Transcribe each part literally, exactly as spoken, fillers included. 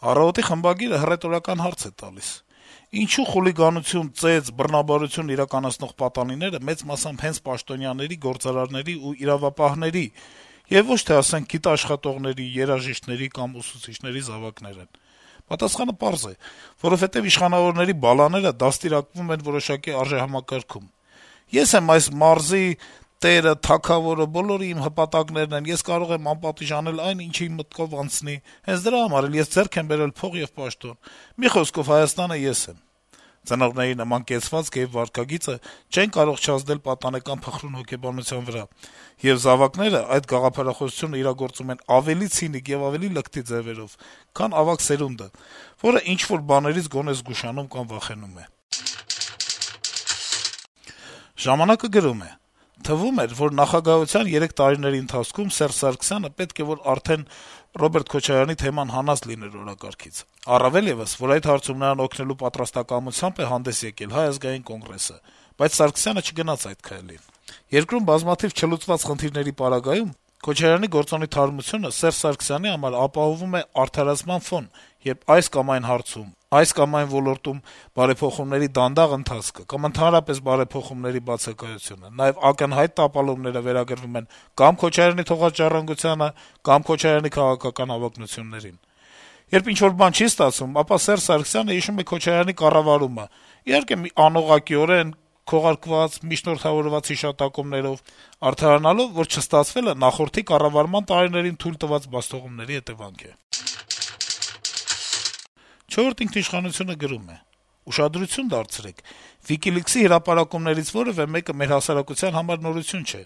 «Առավոտ»-ի խմբագիրը հռետորական հարց է տալիս. - «Ինչու խուլիգանություն, ծեծ, բռնաբարություն իրականացնող պատանիները մեծ մասամբ հենց պաշտոնյաների, գործարարների ու իրավապահների եւ ոչ թե, ասենք, գիտաշխատողների, երաժիշտների կամ ուսուցիչների զավակներ են։ Պատասխանը պարզ է. որովհետեւ իշխանավորների բալաները դաստիարակվում են որոշակի արժեհամակարգում։ Ես եմ այս մարզի տերը, թագավորը, բոլորը իմ հպատակներն են, ես կարող եմ անպատիժ անել այն, ինչ իմ մտքով անցնի, հենց դրա համար էլ ես ձեռք եմ բերել փող եւ պաշտոն։ Մի խոսքով, Հայաստանը ես եմ։ Ծնողների նման կեցվածք եւ վարքագիծը չեն կարող չազդել պատանեկան փխրուն հոգեբանության վրա, եւ զավակները այդ գաղափարախոսությունը իրագործում են ավելի ցինիկ եւ ավելի լկտի ձեւերով, քան ավագ սերունդը, որը ինչ-որ բաներից գոնե զգուշանում կամ վախենում է»։ «Ժամանակ»-ը գրում է. - «Թվում էր, որ նախագահության երեք տարիների ընթացքում Սերժ Սարգսյանը պետք է որ արդեն Ռոբերտ Քոչարյանի թեման հանած լիներ օրակարգից: Առավել եւս, որ այդ հարցում նրան օգնելու պատրաստակամությամբ է հանդես եկել Հայ ազգային կոնգրեսը: Բայց Սարգսյանը չգնաց այդ քայլին: Երկրում բազմաթիվ չլուծված խնդիրների պարագայում Քոչարյանի գործոնի թարմությունը Սերժ Սարգսյանի համար ապահովում է արդարացման ֆոն, երբ այս կամ այն հարցում, այս կամ այն ոլորտում բարեփոխումների դանդաղ ընթացքը կամ ընդհանրապես բարեփոխումների բացակայությունը, նաեւ ակնհայտ տապալումները վերագրվում են կամ Քոչարյանի թողած «Ժառանգությանը», կամ Քոչարյանի քաղաքական հավակնություններին: Երբ ինչ-որ բան չի ստացվում, ապա Սերժ Սարգսյանը հիշում է Քոչարյանի կառավարումը, իհարկե անուղղակիորեն, քողարկված, միջնորդավորված հիշատակումներով, արդարանալով, որ չստացվելը նախորդի կառավարման տարիներին թույլ տված բացթողումների հետեւանք է»: «Չորրորդ ինքնիշխանություն»-ը գրում է. - «Ուշադրություն դարձրեք. WikiLeaks-ի հրապարակումներից որեւէ մեկը մեր հասարակության համար նորություն չէ: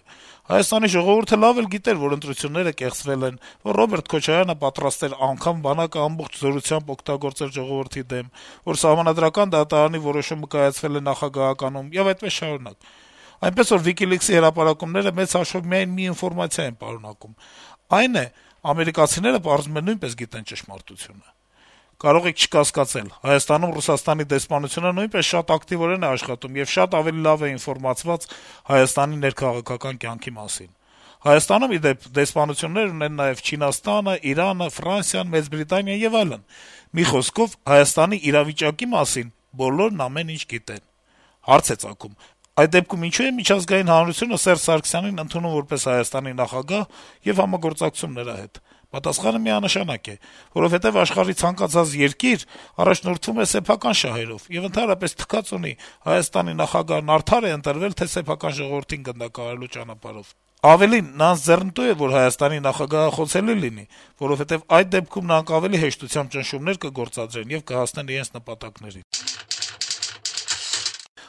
Հայաստանի ժողովուրդը լավ էլ գիտեր, որ ընտրությունները կեղծվել են, որ Ռոբերտ Քոչարյանը պատրաստ էր անգամ բանակը ամբողջ զորությամբ օգտագործել ժողովրդի դեմ, որ Սահմանադրական դատարանի որոշումը կայացվել է նախագահականում եւ այդպես շարունակ: Այնպես որ WikiLeaks-ի հրապարակումները մեծ հաշվով միայն մի ինֆորմացիա են պարունակում. այն է` ամերիկացիները պարզվում է նույնպես գիտեն ճշմարտությունը: Կարող եք չկասկածել, Հայաստանում Ռուսաստանի դեսպանությունը նույնպես շատ ակտիվորեն է աշխատում եւ շատ ավելի լավ է ինֆորմացված Հայաստանի ներքաղաքական կյանքի մասին: Հայաստանում, ի դեպ, դեսպանություններ ունեն նաեւ Չինաստանը, Իրանը, Ֆրանսիան, Մեծ Բրիտանիան եւ այլն: Մի խոսքով, Հայաստանի իրավիճակի մասին բոլորն ամեն ինչ գիտեն: Հարց է ծագում. այդ դեպքում ինչո՞ւ է միջազգային հանրությունը Սերժ Սարգսյանին ընդունում որպես Հայաստանի նախագահ եւ համագործակցում նրա հետ: Պատասխանը միանշանակ է. որովհետեւ աշխարհի ցանկացած երկիր առաջնորդվում է սեփական շահերով եւ ընդհանրապես թքած ունի Հայաստանի նախագահն արդար է ընտրվել, թե սեփական ժողովրդին գնդակահարելու ճանապարհով: Ավելին, նրանց ձեռնտու է, որ Հայաստանի նախագահը խոցելի լինի, որովհետեւ այդ դեպքում նրանք ավելի հեշտությամբ ճնշումներ կգործադրեն եւ կհասնեն իրենց նպատակներին»: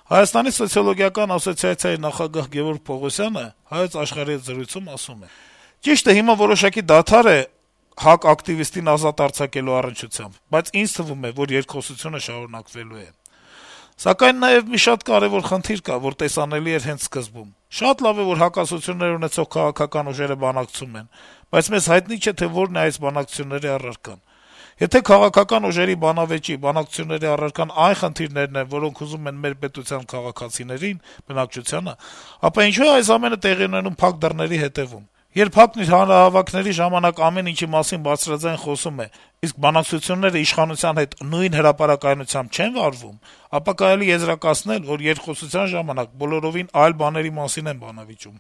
Հայաստանի սոցիոլոգիական ասոցիացիայի նախագահ Գեւորգ Պողոսյանը «Հայոց Աշխարհ»-ի հետ զրույցում ասում է. - «Ճիշտ է, հիմա որոշակի դադար է ՀԱԿ ակտիվիստին ազատ արձակելու առնչությամբ, բայց ինձ թվում է, որ երկխոսությունը շարունակվելու է: Սակայն նաեւ մի շատ կարեւոր խնդիր կա, որ տեսանելի էր հենց սկզբում: Շատ լավ է, որ հակասություններ ունեցող քաղաքական ուժերը բանակցում են, բայց մեզ հայտնի չէ, թե որն է այս բանակցությունների առարկան: Եթե քաղաքական ուժերի բանավեճի, բանակցությունների առարկան այն խնդիրներն են, որոնք հուզում են մեր պետության քաղաքացիներին, բնակչությանը, ապա ինչո՞ւ է այս ամենը տեղի ունենում փակ դռների հետեւում: Երբ ՀԱԿ-ն իր հանրահավաքների ժամանակ ամեն ինչի մասին բարձրաձայն խոսում է, իսկ բանակցությունները իշխանության հետ նույն հրապարակայնությամբ չեն վարվում, ապա կարելի է եզրակացնել, որ երկխոսության ժամանակ բոլորովին այլ բաների մասին են բանավիճում»: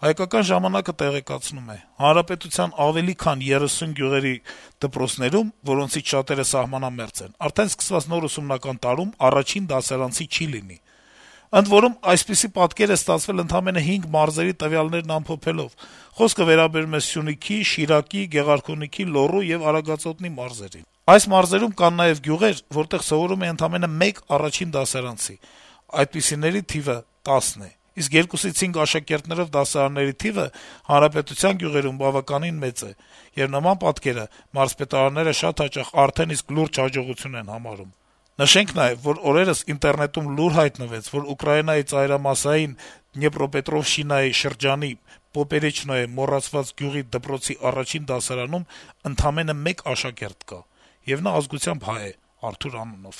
«Հայկական ժամանակ»-ը տեղեկացնում է. - «Հանրապետության ավելի քան երեսուն գյուղերի դպրոցներում, որոնցից շատերը սահմանամերձ են, արդեն սկսված նոր ուսումնական տարում առաջին դասարանցի չի լինի: Ընդ որում, այսպիսի պատկեր է ստացվել ընդամենը հինգ մարզերի տվյալներն ամփոփելով: Խոսքը վերաբերում է Սյունիքի, Շիրակի, Գեղարքունիքի, Լոռու եւ Արագածոտնի մարզերին: Այս մարզերում կան նաեւ գյուղեր, որտեղ սովորում է ընդամենը մեկ առաջին դասարանցի: Այդպիսիների թիվը տասն է: Իսկ երկուսից հինգ աշակերտներով դասարանների թիվը հանրապետության գյուղերում բավականին մեծ է, եւ նման պատկերը մարզպետարանները շատ հաճախ արդեն իսկ լուրջ հաջողություն են համարում: Նշենք նաեւ, որ օրերս ինտերնետում լուր հայտնվեց, որ Ուկրաինայի ծայրամասային Դնեպրոպետրովշչինայի շրջանի Պոպերեչնոյե մոռացված գյուղի դպրոցի առաջին դասարանում ընդամենը մեկ աշակերտ կա, եւ նա ազգությամբ հայ է՝ Արթուր անունով»: